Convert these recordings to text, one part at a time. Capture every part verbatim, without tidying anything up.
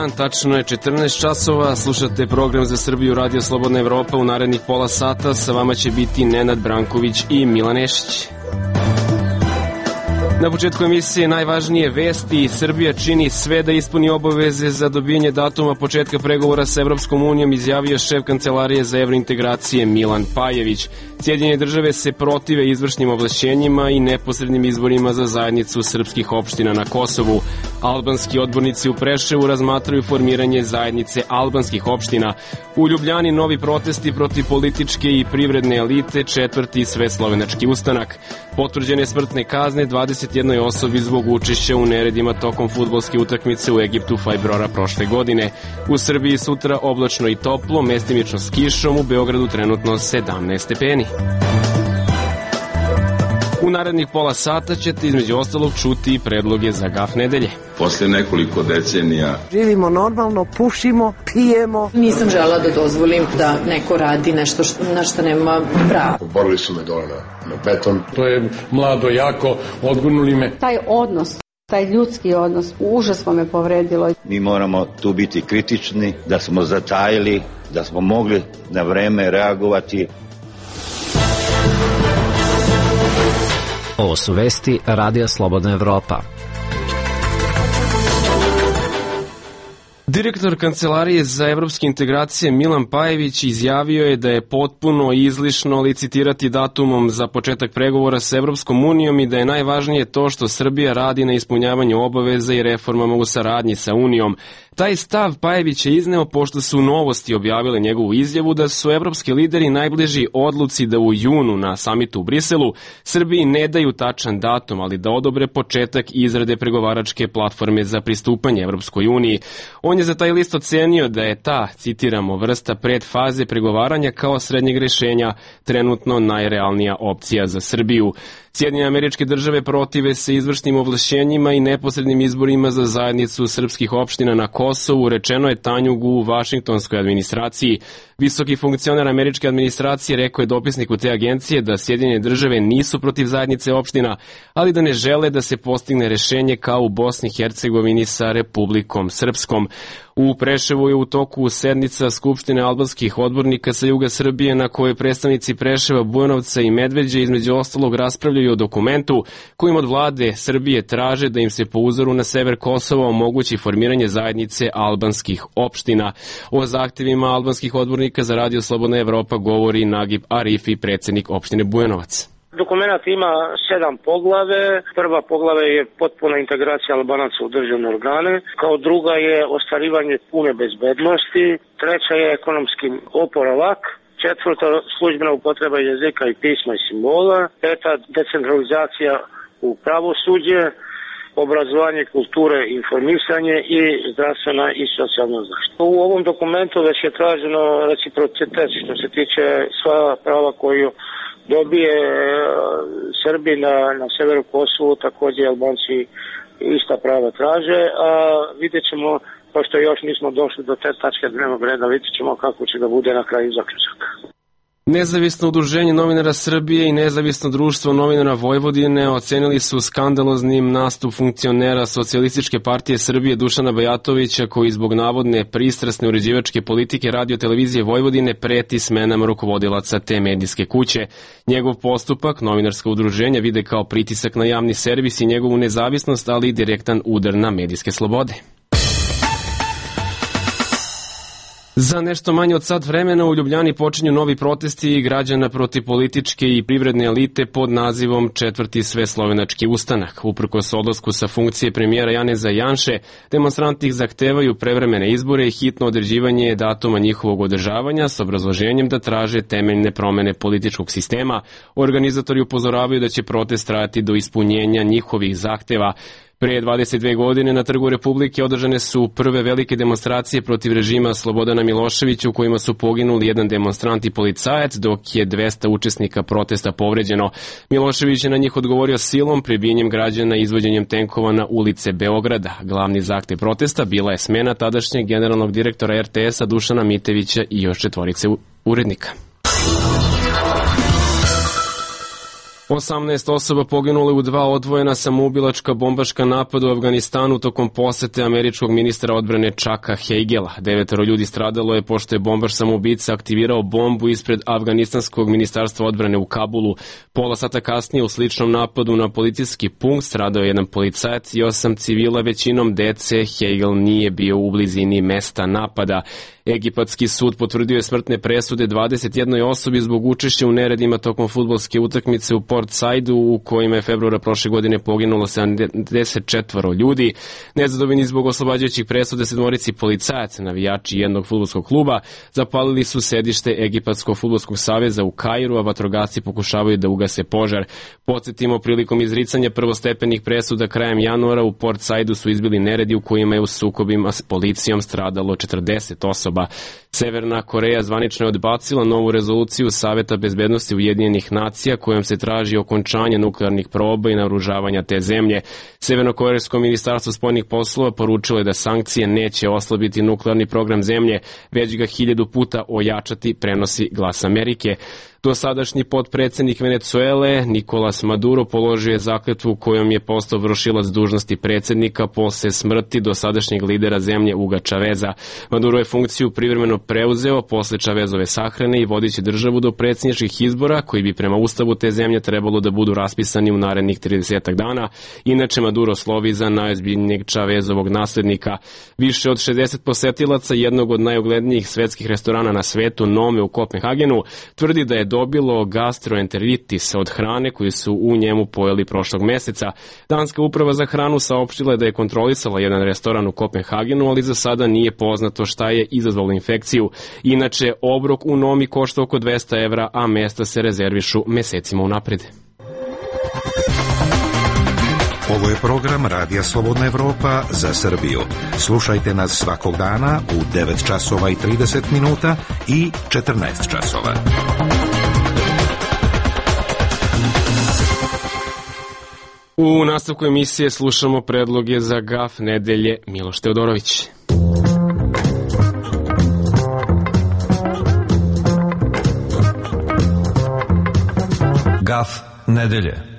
dan, tačno je četrnaest časova, slušate program za Srbiju Radio Slobodna Evropa. U narednih pola sata sa vama će biti Nenad Branković i Milan Nešić. Na početku emisije najvažnije vesti. Srbija čini sve da ispuni obaveze za dobijanje datuma početka pregovora sa Evropskom unijom, izjavio šef Kancelarije za evrointegracije Milan Pajević. Sjedinjene države se protive izvršnim ovlašćenjima i neposrednim izborima za zajednicu srpskih opština na Kosovu. Albanski odbornici u Preševu razmatraju formiranje zajednice albanskih opština. U Ljubljani novi protesti protiv političke i privredne elite, četvrti sveslovenački ustanak. Potvrđene smrtne kazne dvadeset jednoj osobi zbog učešća u neredima tokom fudbalske utakmice u Egiptu februara prošle godine. U Srbiji sutra oblačno i toplo, mestimično s kišom, u Beogradu trenutno sedamnaest stepeni. U narednih pola sata ćete između ostalog čuti predloge za gaf nedelje. Posle nekoliko decenija živimo normalno, pušimo, pijemo. Nisam žela da dozvolim da neko radi nešto što, na što nema prava. Borili su me dole na, na beton. To je mlado, jako, odgurnuli me. Taj odnos, taj ljudski odnos, užasno me povredilo. Mi moramo tu biti kritični, da smo zatajili, da smo mogli na vreme reagovati. Ovo su vesti Radija Slobodna Evropa. Direktor Kancelarije za evropske integracije Milan Pajević izjavio je da je potpuno izlišno licitirati datumom za početak pregovora sa Evropskom unijom i da je najvažnije to što Srbija radi na ispunjavanju obaveza i reformama u saradnji sa Unijom. Taj stav Pajević je izneo pošto su Novosti objavile njegovu izjavu da su evropski lideri najbliži odluci da u junu na samitu u Briselu Srbiji ne daju tačan datum, ali da odobre početak izrade pregovaračke platforme za pristupanje Evropskoj uniji. On je za taj list ocenio da je ta, citiramo, vrsta predfaze pregovaranja kao srednjeg rešenja trenutno najrealnija opcija za Srbiju. Sjedinjene Američke Države protive se izvršnim ovlašćenjima i neposrednim izborima za zajednicu srpskih opština na Kosovu, rečeno je Tanjugu u vašingtonskoj administraciji. Visoki funkcioner američke administracije rekao je dopisniku te agencije da Sjedinjene Države nisu protiv zajednice opština, ali da ne žele da se postigne rešenje kao u Bosni i Hercegovini sa Republikom Srpskom. U Preševu je u toku sednica Skupštine albanskih odbornika sa juga Srbije na kojoj predstavnici Preševa, Bujanovca i Medveđe između ostalog raspravljaju o dokumentu kojim od vlade Srbije traže da im se po uzoru na sever Kosova omogući formiranje zajednice albanskih opština. O zahtevima albanskih odbornika za Radio Slobodna Evropa govori Nagib Arifi, predsjednik opštine Bujanovac. Dokumenat ima sedam poglave. Prva poglave je potpuna integracija Albanaca u državne organe. Kao druga je ostvarivanje pune bezbednosti. Treća je ekonomski oporavak. Četvrta, službena upotreba jezika i pisma i simbola. Peta, decentralizacija u pravosuđe, obrazovanje, kulture, informisanje i zdravstvena i socijalna zaštita. U ovom dokumentu već je traženo reciprocitet što se tiče sva prava koju dobije Srbi na, na severu Kosovu, također Albanci ista prava traže, a vidjet ćemo, pošto još nismo došli do te tačke dnevnog reda, vidjet ćemo kako će da bude na kraju zaključak. Nezavisno udruženje novinara Srbije i Nezavisno društvo novinara Vojvodine ocenili su skandaloznim nastup funkcionera Socijalističke partije Srbije Dušana Bajatovića koji zbog navodne pristrasne uređivačke politike Radio televizije Vojvodine preti smenama rukovodilaca te medijske kuće. Njegov postupak novinarska udruženja vide kao pritisak na javni servis i njegovu nezavisnost, ali i direktan udar na medijske slobode. Za nešto manje od sat vremena u Ljubljani počinju novi protesti građana protiv političke i privredne elite pod nazivom Četvrti sveslovenački ustanak. Uprkos odlasku sa funkcije premijera Janeza Janše, demonstranti zahtevaju prevremene izbore i hitno određivanje datuma njihovog održavanja s obrazloženjem da traže temeljne promene političkog sistema. Organizatori upozoravaju da će protest trajati do ispunjenja njihovih zahteva. Pre dvadeset dve godine na Trgu Republike održane su prve velike demonstracije protiv režima Slobodana Miloševića u kojima su poginuli jedan demonstrant i policajac, dok je dvesta učesnika protesta povređeno. Milošević je na njih odgovorio silom, prebijanjem građana i izvođenjem tenkova na ulice Beograda. Glavni zahtev protesta bila je smena tadašnjeg generalnog direktora er te es-a Dušana Mitevića i još četvorice urednika. osamnaest osoba poginule u dva odvojena samoubilačka bombaška napada u Afganistanu tokom posete američkog ministra odbrane Chucka Hagela. Devetoro ljudi stradalo je pošto je bombaš samoubica aktivirao bombu ispred afganistanskog ministarstva odbrane u Kabulu. Pola sata kasnije u sličnom napadu na policijski punkt stradao je jedan policajac i osam civila, većinom dece. Hagel nije bio u blizini mesta napada. Egipatski sud potvrdio je smrtne presude dvadeset jednoj osobi zbog učešća u neredima tokom fudbalske utakmice u Port Saidu, u kojima je februara prošle godine poginulo sedamdeset četvoro ljudi. Nezadovoljni zbog oslobađajućih presude sedmorici policajaca, navijači jednog fudbalskog kluba, zapalili su sedište Egipatskog fudbalskog saveza u Kairu, a vatrogasci pokušavaju da ugase požar. Podsjetimo, prilikom izricanja prvostepenih presuda krajem januara u Port Saidu su izbili neredi u kojima je u sukobima s policijom stradalo četrdeset osoba. Severna Koreja zvanično je odbacila novu rezoluciju Saveta bezbednosti Ujedinjenih nacija kojom se traži okončanje nuklearnih proba i naoružavanja te zemlje. Severnokorejsko ministarstvo spoljnih poslova poručilo je da sankcije neće oslabiti nuklearni program zemlje, već ga hiljadu puta ojačati, prenosi Glas Amerike. Dosadašnji potpredsednik Venecuele Nicolas Maduro položio je zakletvu kojom je postao vršilac dužnosti predsednika posle smrti dosadašnjeg lidera zemlje Huga Chaveza. Maduro je funkciju privremeno preuzeo posle Chavezove sahrane i vodiće državu do predsjedničkih izbora koji bi prema ustavu te zemlje trebalo da budu raspisani u narednih trideset dana. Inače, Maduro slovi za najozbiljnijeg Chavezovog naslednika. Više od šezdeset posetilaca jednog od najuglednijih svetskih restorana na svetu, Nome u Kopenhagenu, tvrdi da je dobilo gastroenteritis od hrane koju su u njemu pojeli prošlog meseca. Danska uprava za hranu saopštila je da je kontrolisala jedan restoran u Kopenhagenu, ali za sada nije poznato šta je izazvalo infekciju. Inače, obrok u Nomi košta oko dvesta evra, a mesta se rezervišu mesecima unapred. Ovo je program Radija Slobodna Evropa za Srbiju. Slušajte nas svakog dana u devet časova i trideset minuta i četrnaest časova. U nastavku emisije slušamo predloge za gaf nedelje. Miloš Teodorović. Gaf nedelje.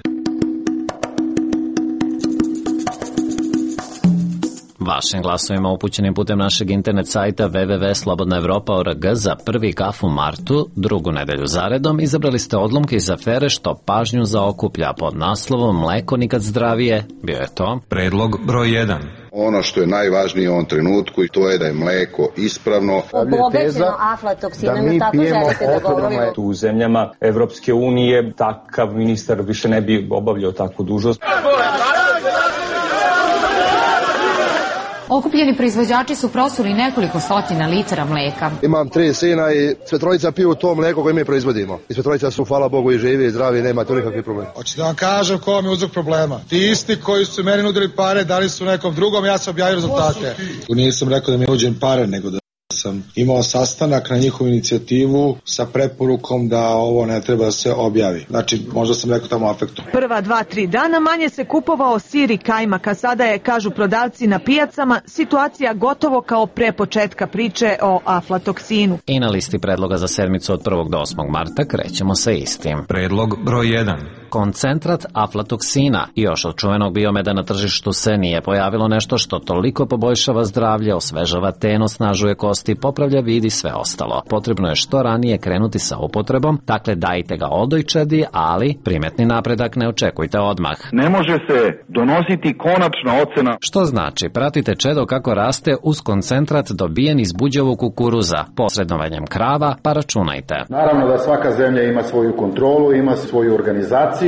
Vašim glasovima upućenim putem našeg internet sajta w w w tačka slobodna evropa tačka org za prvi gaf u martu, drugu nedelju zaredom, izabrali ste odlomke iz afere Što pažnju zaokuplja pod naslovom Mleko nikad zdravije. Bio je to predlog broj jedan. Ono što je najvažnije u ovom trenutku i to je da je mleko ispravno. Obogaćeno aflatoksinom, tako želite da govorimo. U zemljama Evropske unije takav ministar više ne bi obavljao takvu dužnost. Okupljeni proizvođači su prosuli nekoliko stotina litara mleka. Imam tri sina i sve trojica piju to mleko koje mi proizvodimo. I sve trojica su, hvala Bogu, i živi i zdravi, nema tu nikakvih problema. Hoćete da vam kažem ko vam je uzrok problema. Ti isti koji su meni nudili pare, dali su nekom drugom, ja sam objavio rezultate. Nisam rekao da mi uđem pare, nego da sam imao sastanak na njihovu inicijativu sa preporukom da ovo ne treba da se objavi. Znači, možda sam rekao tamo afektom. Prva dva, tri dana manje se kupovao sir i kajmak, a sada je, kažu prodavci na pijacama, situacija gotovo kao pre početka priče o aflatoksinu. I na listi predloga za sedmicu od prvog do osmog marta krećemo sa istim. Predlog broj jedan. Koncentrat aflatoksina. Još od čuvenog biomeda na tržištu se nije pojavilo nešto što toliko poboljšava zdravlje, osvežava ten, osnažuje kosti, popravlja vid i sve ostalo. Potrebno je što ranije krenuti sa upotrebom, dakle dajte ga odojčadi, ali primetni napredak ne očekujte odmah. Ne može se donositi konačna ocena. Što znači, pratite čedo kako raste uz koncentrat dobijen iz buđevog kukuruza, posredovanjem krava, pa računajte. Naravno da svaka zemlja ima svoju kontrolu, ima svoju organizaciju.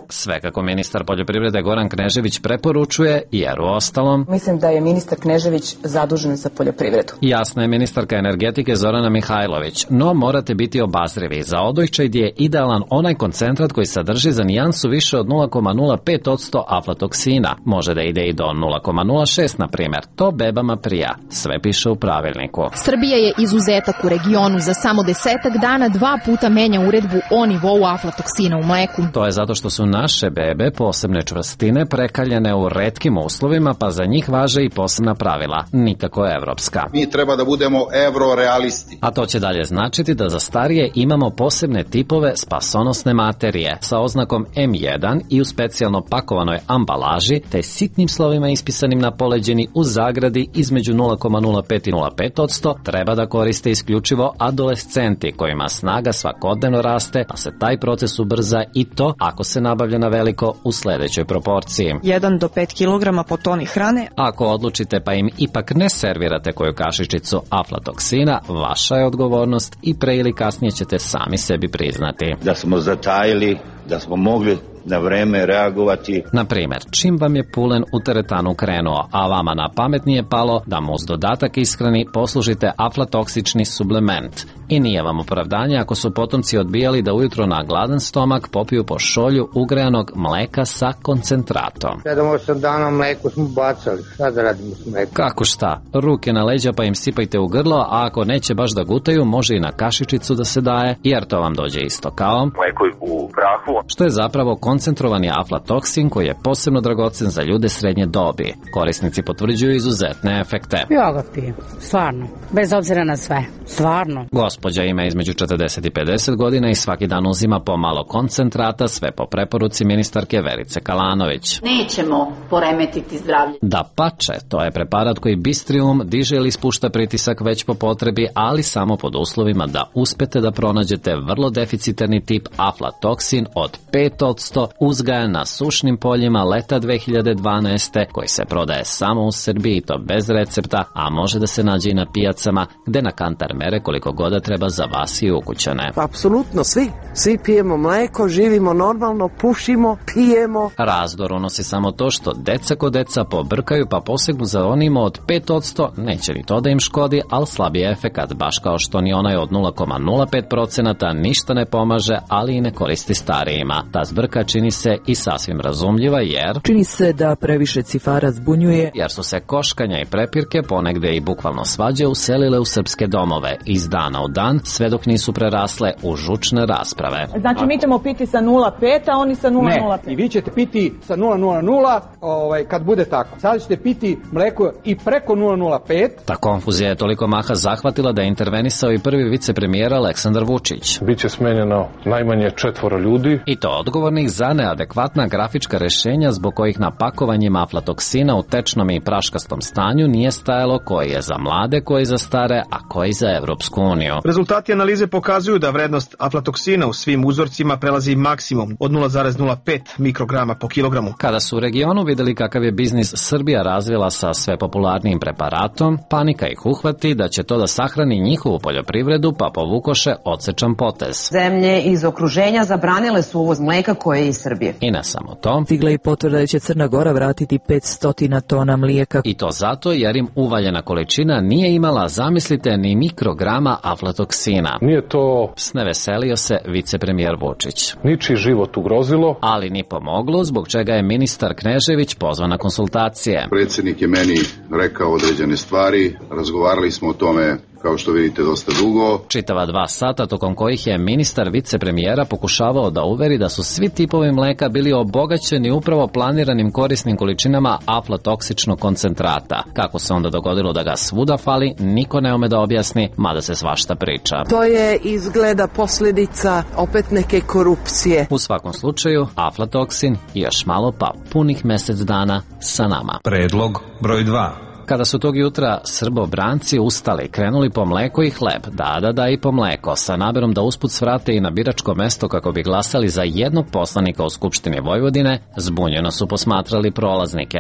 Sve kako ministar poljoprivrede Goran Knežević preporučuje, jer u ostalom... Mislim da je ministar Knežević zadužen za poljoprivredu. Jasno je ministarka energetike Zorana Mihajlović, no morate biti obazrivi. Za odojčad je idealan onaj koncentrat koji sadrži za nijansu više od nula zarez nula pet posto aflatoksina. Može da ide i do nula zarez nula šest, na primjer. To bebama prija. Sve piše u pravilniku. Srbija je izuzetak u regionu. Za samo desetak dana dva puta menja uredbu o nivou aflatoksina u mleku. To je zato što su naše bebe posebne čvrstine prekaljene u retkim uslovima, pa za njih važe i posebna pravila, nikako evropska. Mi treba da budemo budemo eurorealisti. A to će dalje značiti da za starije imamo posebne tipove spasonosne materije sa oznakom em jedan i u specijalno pakovanoj ambalaži te sitnim slovima ispisanim na poleđini u zagradi između nula zarez nula pet i nula zarez pet posto treba da koriste isključivo adolescenti kojima snaga svakodnevno raste, a se taj proces ubrza i to ako se nabavlja na veliko u sledećoj proporciji. jedan do pet kilograma po toni hrane. Ako odlučite pa im ipak ne servirate koju kašičicu aflatoksina, vaša je odgovornost i pre ili kasnije ćete sami sebi priznati. Da smo zatajili, da smo mogli na vreme reagovati. Na primer, čim vam je pulen u teretanu krenuo, a vama na pamet nije palo da mu uz dodatak ishrani poslužite aflatoksični suplement. I nije vam opravdanje ako su potomci odbijali da ujutro na gladan stomak popiju po šolju ugrejanog mleka sa koncentratom. sedam osam dana mleko smo bacali, šta da radimo s mlekom? Kako šta? Ruke na leđa pa im sipajte u grlo, a ako neće baš da gutaju, može i na kašičicu da se daje, jer to vam dođe isto kao mleko u prahu, što je zapravo koncentrovani aflatoksin koji je posebno dragocen za ljude srednje dobi. Korisnici potvrđuju izuzetne efekte. Ja ga pijem, stvarno, bez obzira na sve, stvarno. Gospođa ima između četrdeset i pedeset godina i svaki dan uzima po malo koncentrata, sve po preporuci ministarke Verice Kalanović. Nećemo poremetiti zdravlje. Da pače, to je preparat koji bistri um, diže ili spušta pritisak već po potrebi, ali samo pod uslovima da uspete da pronađete vrlo deficitarni tip aflatoksin od pet posto uzgajan na sušnim poljima leta dve hiljade dvanaeste koji se prodaje samo u Srbiji i to bez recepta, a može da se nađe i na pijacama gde na kantar mere koliko god treba za vas i ukućane. Apsolutno svi. Svi pijemo mleko, živimo normalno, pušimo, pijemo. Razdor unosi samo to što deca ko deca pobrkaju pa posegnu za onima od pet posto, neće ni to da im škodi, ali slab je efekat, baš kao što ni onaj od nula zarez nula pet posto ništa ne pomaže, ali i ne koristi starijima. Ta zbrka čini se i sasvim razumljiva jer čini se da previše cifara zbunjuje, jer su se koškanja i prepirke ponegde i bukvalno svađe uselile u srpske domove iz dana u dan, sve dok nisu prerasle u žučne rasprave. Znači mi ćemo piti sa nula zarez pet, a oni sa nula zarez nula pet. Ne, i vi ćete piti sa nula zarez nula nula ovaj, kad bude tako. Sada ćete piti mleko i preko nula zarez nula pet. Ta konfuzija je toliko maha zahvatila da je intervenisao i prvi vicepremijer Aleksandar Vučić. Biće smenjeno najmanje četvoro ljudi. I to odgovornih za neadekvatna grafička rešenja zbog kojih na pakovanjima aflatoksina u tečnom i praškastom stanju nije stajalo koji je za mlade, koji za stare, a koji za Evropsku uniju. Rezultati analize pokazuju da vrednost aflatoksina u svim uzorcima prelazi maksimum od nula zarez nula pet mikrograma po kilogramu. Kada su u regionu videli kakav je biznis Srbija razvila sa sve popularnijim preparatom, panika ih uhvati da će to da sahrani njihovu poljoprivredu, pa povukoše odsečan potez. Zemlje iz okruženja zabranile su uvoz mleka koje je iz Srbije. I ne samo to. Stigla i potvrda da će Crna Gora vratiti petsto tona mlijeka. I to zato jer im uvaljena količina nije imala, zamislite, ni mikrograma aflatoksina. Nije to... Sneveselio se vicepremijer Vučić. Ničiji život ugrozilo. Ali ni pomoglo, zbog čega je ministar Knežević pozvan na konsultacije. Predsjednik je meni rekao određene stvari, razgovarali smo o tome kao što vidite dosta dugo. Čitava dva sata tokom kojih je ministar vicepremijera pokušavao da uveri da su svi tipovi mleka bili obogaćeni upravo planiranim korisnim količinama aflatoksičnog koncentrata. Kako se onda dogodilo da ga svuda fali, niko ne ume da objasni, mada se svašta priča. To je izgleda posljedica opet neke korupcije. U svakom slučaju, aflatoksin i još malo pa punih mesec dana sa nama. Predlog broj dva. Kada su tog jutra srbobranci ustali, krenuli po mleko i hleb, da, da, da i po mleko, sa namerom da usput svrate i na biračko mesto kako bi glasali za jednog poslanika u Skupštini Vojvodine, zbunjeno su posmatrali prolaznike.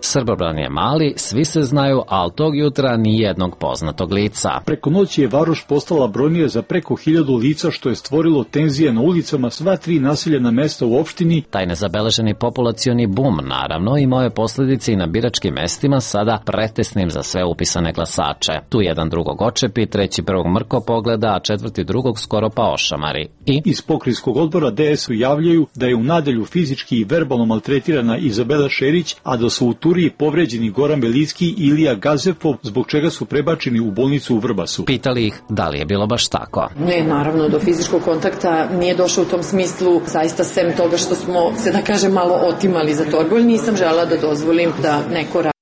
Srbobran je mali, svi se znaju, ali tog jutra ni jednog poznatog lica. Preko noći je Varoš postala brojnija za preko hiljadu lica, što je stvorilo tenzije na ulicama sva tri naseljena mesta u opštini. Taj nezabeleženi populacioni bum, naravno, imao je posljedice i na biračkim mestima, sada pretesnim za sve upisane glasače. Tu jedan drugog očepi, treći prvog mrko pogleda, a četvrti drugog skoro pa ošamari. I iz pokrajinskog odbora D S U javljaju da je u nadelju fizički i verbalno maltretirana Izabela Šerić, a da su u Turi Prvi povređeni Goran Belicki i Ilija Gazefov, zbog čega su prebačeni u bolnicu u Vrbasu. Pitali ih da li je bilo baš tako. Ne, naravno, do fizičkog kontakta nije došlo u tom smislu, zaista sem toga što smo se, da kažem, malo otimali za torbu, ali nisam žela da dozvolim da neko radi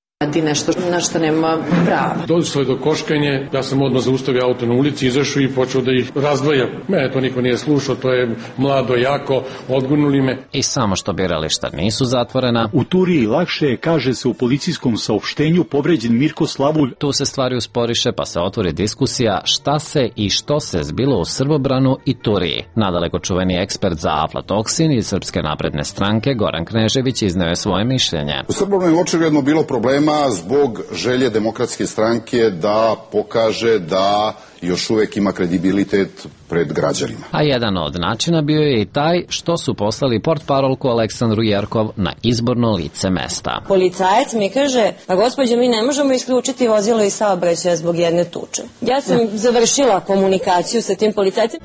nešto na što nema prava. Došlo je do koškanje, ja sam odmah zaustavio auto na ulici, izašao i počeo da ih razdvaja. Mene to niko nije slušao, to je mlado, jako, odgurnuli me. I samo što birališta nisu zatvorena. U Turiji lakše je, kaže se u policijskom saopštenju, povređen Mirko Slavulj. Tu se stvari usporiše pa se otvori diskusija šta se i što se zbilo u Srbobranu i Turiji. Nadaleko čuveni ekspert za aflatoksin iz Srpske napredne stranke Goran Knežević izneo je svoje mišljenje. U Srbobranu je očigledno bilo problema zbog želje Demokratske stranke da pokaže da još uvek ima kredibilitet pred građanima. A jedan od načina bio je i taj što su poslali portparolku Aleksandru Jerkov na izborno lice mesta. Policajac mi kaže, pa gospođo, mi ne možemo isključiti vozilo iz saobraćaja zbog jedne tuče. Ja sam završila komunikaciju sa tim policajcem.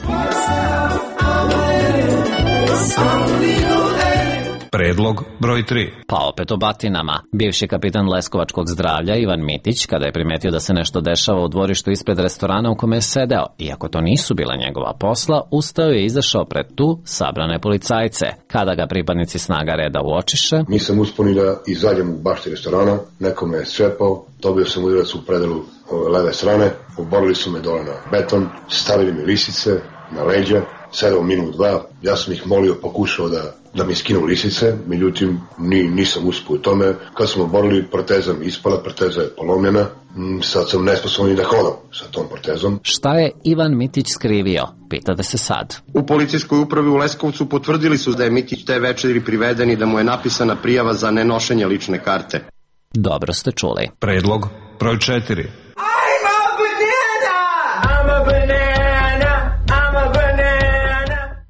Predlog broj tri. Pa opet o batinama. Bivši kapitan Leskovačkog zdravlja Ivan Mitić, kada je primetio da se nešto dešava u dvorištu ispred restorana u kome je sedeo, iako to nisu bila njegova posla, ustao je i izašao pred tu sabrane policajce. Kada ga pripadnici snaga reda uočiše, nisam uspio ni da izađem u bašti restorana, neko me je srepao, dobio sam udarac u predelu leve strane, oborili su me dole na beton, stavili mi lisice na leđa, sedao minut, dva, ja sam ih molio, pokušao da da mi skinu lisice, međutim ni, nisam uspio u tome. Kad smo borili, proteza mi ispala, proteza je polomljena, sad sam nesposoban da hodam sa tom protezom. Šta je Ivan Mitić skrivio? Pitate se sad. U policijskoj upravi u Leskovcu potvrdili su da je Mitić te večeri priveden i da mu je napisana prijava za nenošenje lične karte. Dobro ste čuli. Predlog broj četiri. I'm a banana! I'm a banana! I'm a banana!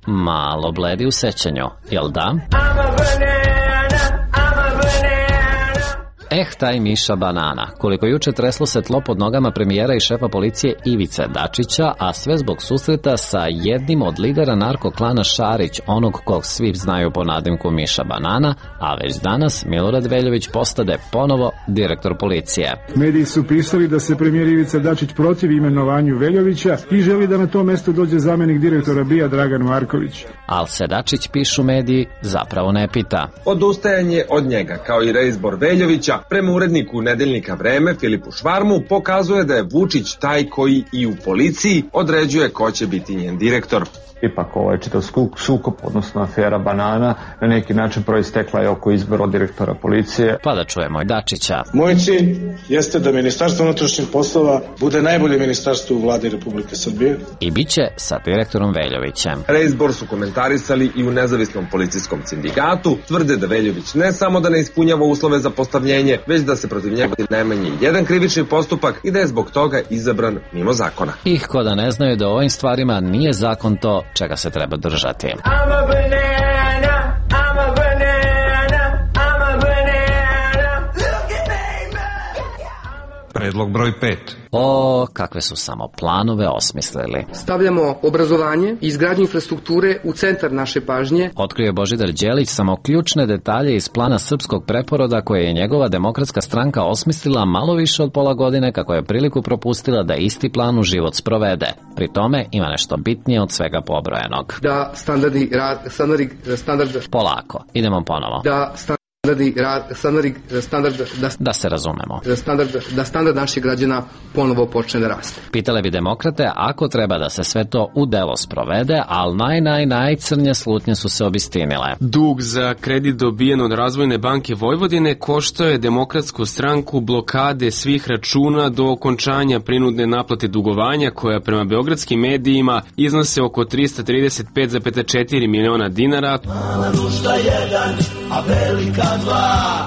Malo bledi u sećanju, jel da? Eh, taj Miša Banana. Koliko juče treslo se tlo pod nogama premijera i šefa policije Ivice Dačića, a sve zbog susreta sa jednim od lidera narkoklana Šarić, onog kog svi znaju po nadimku Miša Banana, a već danas Milorad Veljović postade ponovo direktor policije. Mediji su pisali da se premijer Ivica Dačić protivi imenovanju Veljovića i želi da na to mesto dođe zamenik direktora B I A Dragan Marković. Al se Dačić, pišu mediji, zapravo ne pita. Odustajanje od njega, kao i reizbor Veljovića, prema uredniku Nedeljnika Vreme Filipu Švarmu, pokazuje da je Vučić taj koji i u policiji određuje ko će biti njen direktor. Ipak ovaj čitav sukob, odnosno afera Banana, na neki način proistekla je oko izbora direktora policije. Pa da čujemo i Dačića. Moj cilj jeste da Ministarstvo unutrašnjih poslova bude najbolje ministarstvo u vladi Republike Srbije. I bit će sa direktorom Veljovićem. Reizbor su komentarisali i u nezavisnom policijskom sindikatu. Tvrde da Veljović ne samo da ne ispunjava uslove za postavljenje, već da se protiv njega najmanje jedan krivični postupak i da je zbog toga izabran mimo zakona. Ih ko da ne znaju da u ovim stvarima nije zakon to čega se treba držati. Predlog broj pet. O, kakve su samo planove osmislili. Stavljamo obrazovanje i izgradnju infrastrukture u centar naše pažnje. Otkrio je Božidar Đelić samo ključne detalje iz plana srpskog preporoda koje je njegova demokratska stranka osmislila malo više od pola godine kako je priliku propustila da isti plan u život sprovede. Pri tome ima nešto bitnije od svega pobrojenog. Da standardi rad, standardi, standard... Polako, idemo ponovo. Da standardi Rad, standard, standard, da, da se razumemo. Standard, da standard naših građana ponovo počne da raste. Pitale bi demokrate ako treba da se sve to u delo sprovede, ali naj, naj, najcrnje slutnje su se obistinile. Dug za kredit dobijen od Razvojne banke Vojvodine koštao je Demokratsku stranku blokade svih računa do okončanja prinudne naplate dugovanja koja prema beogradskim medijima iznose oko trista trideset pet zarez četiri miliona dinara. Mala rušta jedan, a velika dva.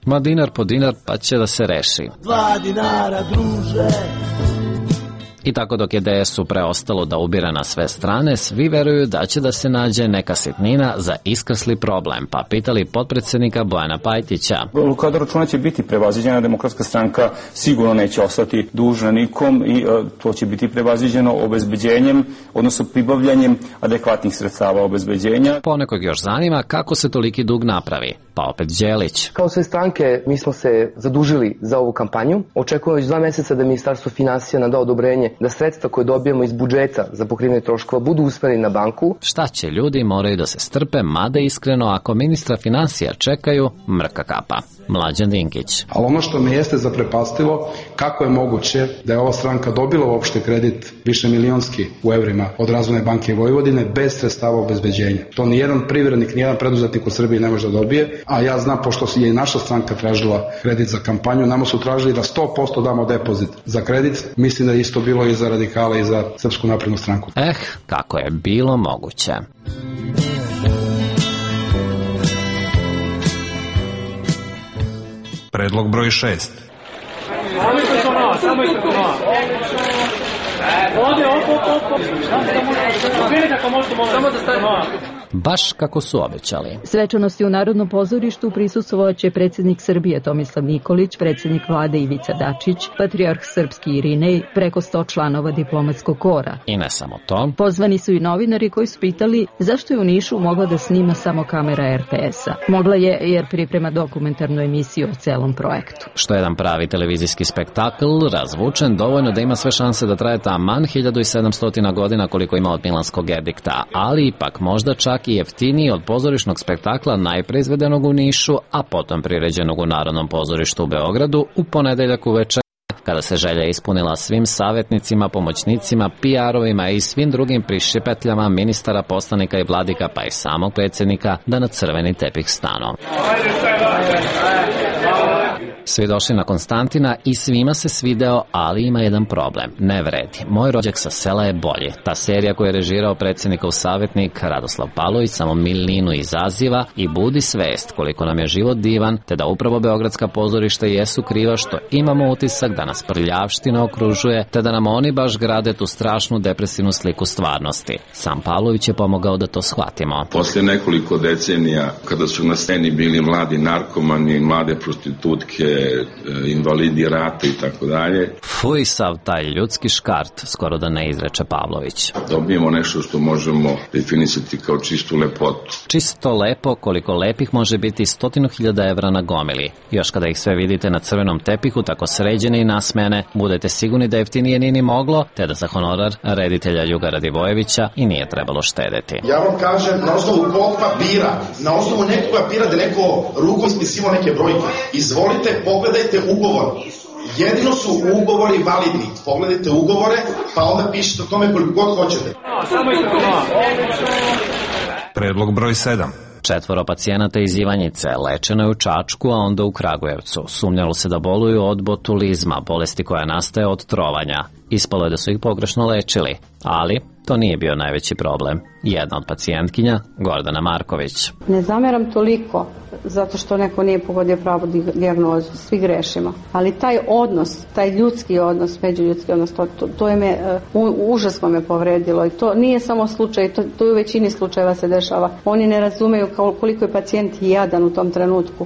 Ma dinar po dinar pa će da se reši. Dva dinara, druže. I tako dok je D S U preostalo da ubira na sve strane, svi veruju da će da se nađe neka sitnina za iskrsli problem, pa pitali potpredsednika Bojana Pajtića. Blokada računa će biti prevaziđena, Demokratska stranka sigurno neće ostati dužna nikom i uh, to će biti prevaziđeno obezbeđenjem, odnosno pribavljanjem adekvatnih sredstava obezbeđenja. Ponekog još zanima kako se toliki dug napravi, Pa opet Đelić. Kao sve stranke, mi smo se zadužili za ovu kampanju. Očekujemo već dva meseca da Ministarstvo finansija nam da odobrenje da sredstva koje dobijemo iz budžeta za pokrivanje troškova budu usmereni na banku. Šta će, ljudi moraju da se strpe, mada iskreno, ako ministra finansija čekaju, mrka kapa. Mlađan Dinkić. Ali ono što me jeste zaprepastilo, kako je moguće da je ova stranka dobila uopšte kredit više milionski u evrima od Razvojne banke Vojvodine bez sredstava obezbeđenja. To nijedan privrednik, nijedan preduzetnik u Srbiji ne može da dobije, a ja znam, pošto je i naša stranka tražila kredit za kampanju, nama su tražili da sto posto damo depozit za kredit. Mislim da je isto bilo i za radikala i za Srpsku naprednu stranku. Eh, kako je bilo moguće. Predlog broj šest. Samo isto malo, samo isto malo. Ovdje, op, op, op. Samo da stavimo. Baš kako su obećali. Svečanosti u Narodnom pozorištu prisustvovaće predsjednik Srbije Tomislav Nikolić, predsjednik vlade Ivica Dačić, patrijarh srpski Irinej, preko sto članova diplomatskog kora. I ne samo to. Pozvani su i novinari koji su pitali zašto je u Nišu mogla da snima samo kamera er te es-a. Mogla je jer priprema dokumentarnu emisiju o celom projektu. Što je jedan pravi televizijski spektakl, razvučen dovoljno da ima sve šanse da traje taman hiljadu sedamsto godina koliko ima od Milanskog edikta, ali ipak možda čak i jeftiniji od pozorišnog spektakla najpre izvedenog u Nišu, a potom priređenog u Narodnom pozorištu u Beogradu u ponedeljak uveče, kada se želja ispunila svim savjetnicima, pomoćnicima, pi arovima i svim drugim prišipetljama ministara, poslanika i vladika, pa i samog predsjednika, da na crveni tepih stanu. Svi došli na Konstantina i svima se svideo, ali ima jedan problem. Ne vredi. Moj rođak sa sela je bolji. Ta serija koju je režirao predsjednikov savjetnik Radoslav Palović samo milinu izaziva i budi svest koliko nam je život divan, te da upravo beogradska pozorišta jesu kriva što imamo utisak da nas prljavština okružuje, te da nam oni baš grade tu strašnu depresivnu sliku stvarnosti. Sam Pavlović je pomogao da to shvatimo. Poslije nekoliko decenija, kada su na sceni bili mladi narkomani, mlade prostitutke, invalidi rata i tako dalje. Fuj, sav taj ljudski škart, skoro da ne izreče Pavlović. Dobijemo nešto što možemo definisati kao čistu lepotu. Čisto lepo, koliko lepih može biti stotinu hiljada evra na gomili. Još kada ih sve vidite na crvenom tepihu, tako sređene i nasmene, budete sigurni da jeftinije nije ni moglo, te da za honorar reditelja Ljuga Radivojevića i nije trebalo štedeti. Ja vam kažem, na osnovu kog papira, na osnovu nekog papira da neko rukom ispisivao neke brojke. Izvolite, pogledajte ugovor. Jedino su ugovori validni. Pogledajte ugovore, pa onda pišite o tome koliko god hoćete. Predlog broj sedam. Četvoro pacijenata iz Ivanjice lečeno je u Čačku, a onda u Kragujevcu. Sumnjalo se da boluju od botulizma, bolesti koja nastaje od trovanja. Ispalo je da su ih pogrešno lečili, ali to nije bio najveći problem. Jedna od pacijentkinja, Gordana Marković. Ne zameram toliko zato što neko nije pogodio pravu dijagnozu, svi grešimo. Ali taj odnos, taj ljudski odnos, međuljudski odnos, to, to, to je me, uh, užasno me povredilo i to nije samo slučaj, to, to u većini slučajeva se dešava. Oni ne razumeju koliko je pacijent jadan u tom trenutku.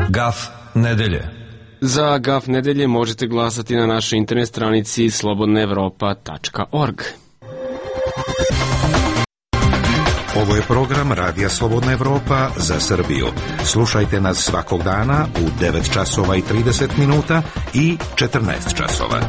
Gaf nedelje. Za Gaf nedelje možete glasati na našoj internet stranici slobodna evropa tačka org. Ovo je program Radija Slobodna Evropa za Srbiju. Slušajte nas svakog dana u devet časova i trideset minuta i četrnaest časova.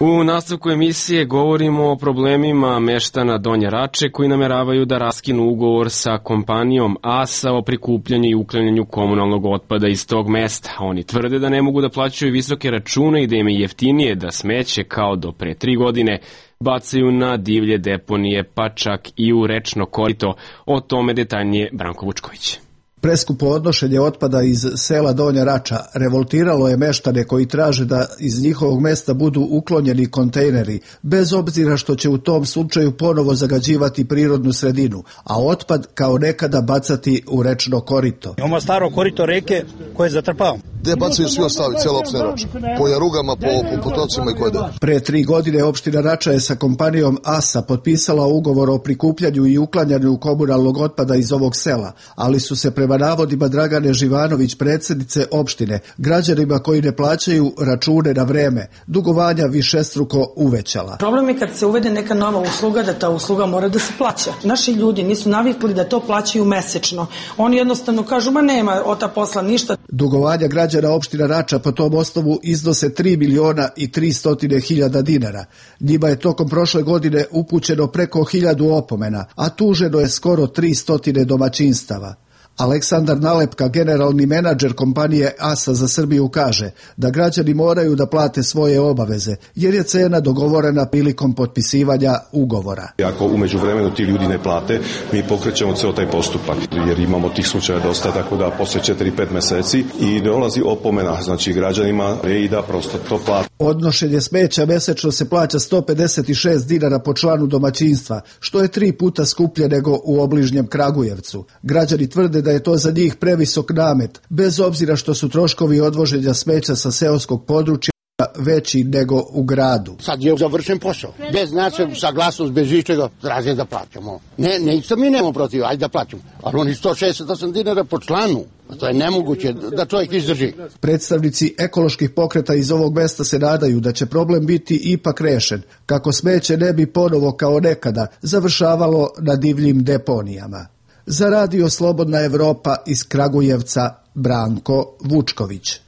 U nastavku emisije govorimo o problemima meštana Donje Rače koji nameravaju da raskinu ugovor sa kompanijom A S A o prikupljanju i uklanjanju komunalnog otpada iz tog mesta. Oni tvrde da ne mogu da plaćaju visoke račune i da im je jeftinije da smeće kao do pre tri godine bacaju na divlje deponije, pa čak i u rečno korito. O tome detaljnije Branko Vučković. Preskupo odnošenje otpada iz sela Donja Rača revoltiralo je meštane koji traže da iz njihovog mesta budu uklonjeni kontejneri, bez obzira što će u tom slučaju ponovo zagađivati prirodnu sredinu, a otpad kao nekada bacati u rečno korito. Imamo staro korito reke koje zatrpavamo. Gde bacaju svi ostali, cijela opština Rača? Po jarugama, po, po potocima i koje da? Pre tri godine opština Rača je sa kompanijom A S A potpisala ugovor o prikupljanju i uklanjanju komunalnog otpada iz ovog sela, ali su se prema navodima Dragane Živanović, predsjednice opštine, građanima koji ne plaćaju račune na vreme, dugovanja višestruko uvećala. Problem je kad se uvede neka nova usluga, da ta usluga mora da se plaća. Naši ljudi nisu navikli da to plaćaju mesečno. Oni jednostavno kažu, ma nema od ta posla ništa. Dugovanja građana opština Rača po tom osnovu iznose tri miliona i tristo hiljada dinara. Njima je tokom prošle godine upućeno preko hiljadu opomena, a tuženo je skoro tristo domaćinstava. Aleksandar Nalepka, generalni menadžer kompanije A S A za Srbiju, kaže da građani moraju da plate svoje obaveze, jer je cena dogovorena prilikom potpisivanja ugovora. Ako umeđu vremenu ti ljudi ne plate, mi pokrećemo ceo taj postupak, jer imamo tih slučaja dosta, tako da posle četiri pet meseci i dolazi opomena, znači građanima i da prosto to plate. Odnošenje smeća mesečno se plaća sto pedeset šest dinara po članu domaćinstva, što je tri puta skuplje nego u obližnjem Kragujevcu. Građani tvrde da je to za njih previsok namet, bez obzira što su troškovi odvoženja smeća sa seoskog područja veći nego u gradu. Sad je završen posao. Bez naše saglasnost, bez ičega, traže da plaćamo. Ne, ne, isto mi nemamo protiv, ajde da plaćamo. Ali oni sto šezdeset osam dinara po članu. To je nemoguće da čovjek izdrži. Predstavnici ekoloških pokreta iz ovog mesta se nadaju da će problem biti ipak rešen, kako smeće ne bi ponovo kao nekada završavalo na divljim deponijama. Za Radio Slobodna Evropa iz Kragujevca, Branko Vučković.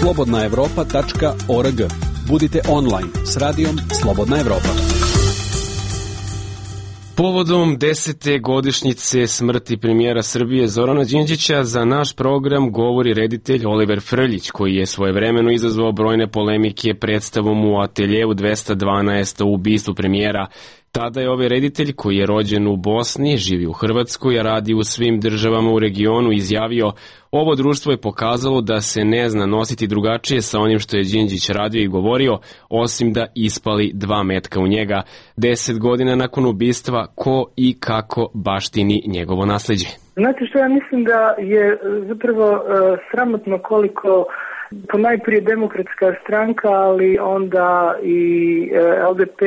slobodna evropa tačka org. Budite online s radijom Slobodna Evropa. Povodom desete godišnjice smrti premijera Srbije Zorana Đinđića za naš program govori reditelj Oliver Frljić, koji je svojevremeno izazvao brojne polemike predstavom u ateljevu dvesta dvanaest o ubistvu premijera. Tada je ovaj reditelj, koji je rođen u Bosni, živi u Hrvatskoj, a radi u svim državama u regionu, izjavio: ovo društvo je pokazalo da se ne zna nositi drugačije sa onim što je Đinđić radio i govorio, osim da ispali dva metka u njega. Deset godina nakon ubistva, ko i kako baštini njegovo nasleđe? Znate što, ja mislim da je zapravo uh, sramotno koliko ponajprije Demokratska stranka, ali onda i uh, L D P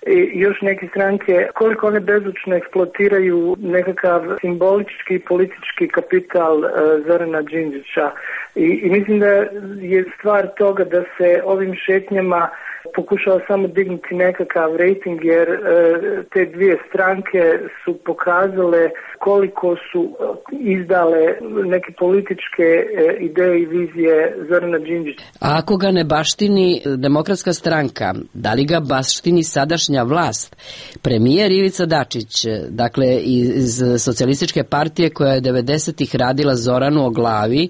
i još neke stranke, koliko one bezučno eksploatiraju nekakav simbolički politički kapital uh, Zorana Đinđića. I, I mislim da je stvar toga da se ovim šetnjama pokušao samo dignuti nekakav rating, jer uh, te dvije stranke su pokazale koliko su izdale neke političke uh, ideje i vizije Zorana Đinđića. A ako ga ne baštini Demokratska stranka, da li ga baštini sadašnja vlast? Premijer Ivica Dačić, dakle iz Socijalističke partije koja je devedesetih radila Zoranu o glavi,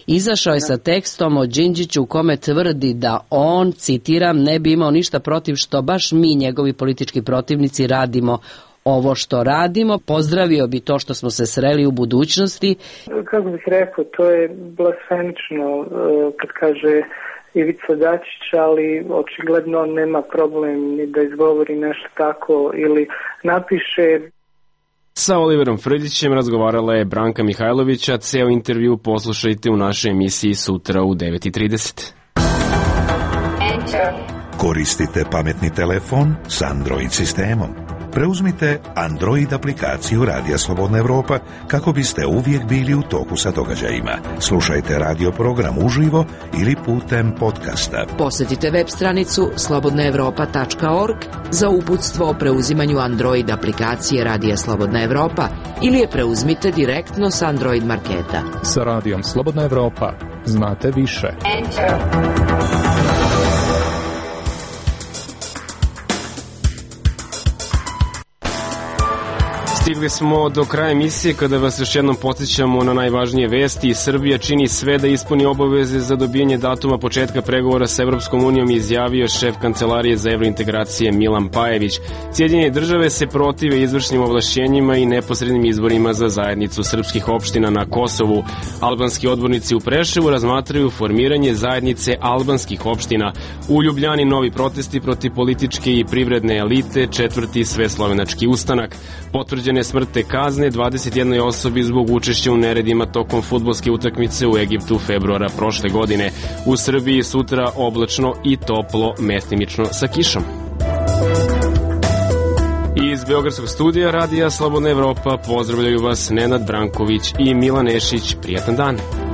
izašao je sa tekstom o Đinđiću u kome tvrdi da on, citiram, ne bi imao ništa protiv što baš mi, njegovi politički protivnici, radimo ovo što radimo. Pozdravio bi to što smo se sreli u budućnosti. Kako bih rekao, to je blasfemično kad kaže Ivica Dačić, ali očigledno nema problem ni da izgovori nešto tako ili napiše. Sa Oliverom Frljićem razgovarala je Branka Mihajlović, a ceo intervju poslušajte u našoj emisiji sutra u devet i trideset. Koristite pametni telefon s Android sistemom. Preuzmite Android aplikaciju Radija Slobodna Evropa kako biste uvijek bili u toku sa događajima. Slušajte radio program uživo ili putem podcasta. Posjetite web stranicu slobodna evropa tačka org za uputstvo o preuzimanju Android aplikacije Radija Slobodna Evropa ili je preuzmite direktno s Android marketa. Sa Radijom Slobodna Evropa znate više. Stigli smo do kraja emisije kada vas još jednom podsjećamo na najvažnije vesti. Srbija čini sve da ispuni obaveze za dobijanje datuma početka pregovora sa Evropskom unijom, izjavio šef Kancelarije za evrointegracije Milan Pajević. Sjedinjene države se protive izvršnim ovlašćenjima i neposrednim izborima za zajednicu srpskih opština na Kosovu. Albanski odbornici u Preševu razmatraju formiranje zajednice albanskih opština. U Ljubljani novi protesti protiv političke i privredne elite, četvrti sveslovenački ustanak. Potvrđene smrtne kazne dvadeset jednoj osobi zbog učešća u neredima tokom fudbalske utakmice u Egiptu februara prošle godine. U Srbiji sutra oblačno i toplo, mestimično sa kišom. Iz Beogradskog studija Radija Slobodna Evropa pozdravljaju vas Nenad Branković i Milan Nešić. Prijatan dan!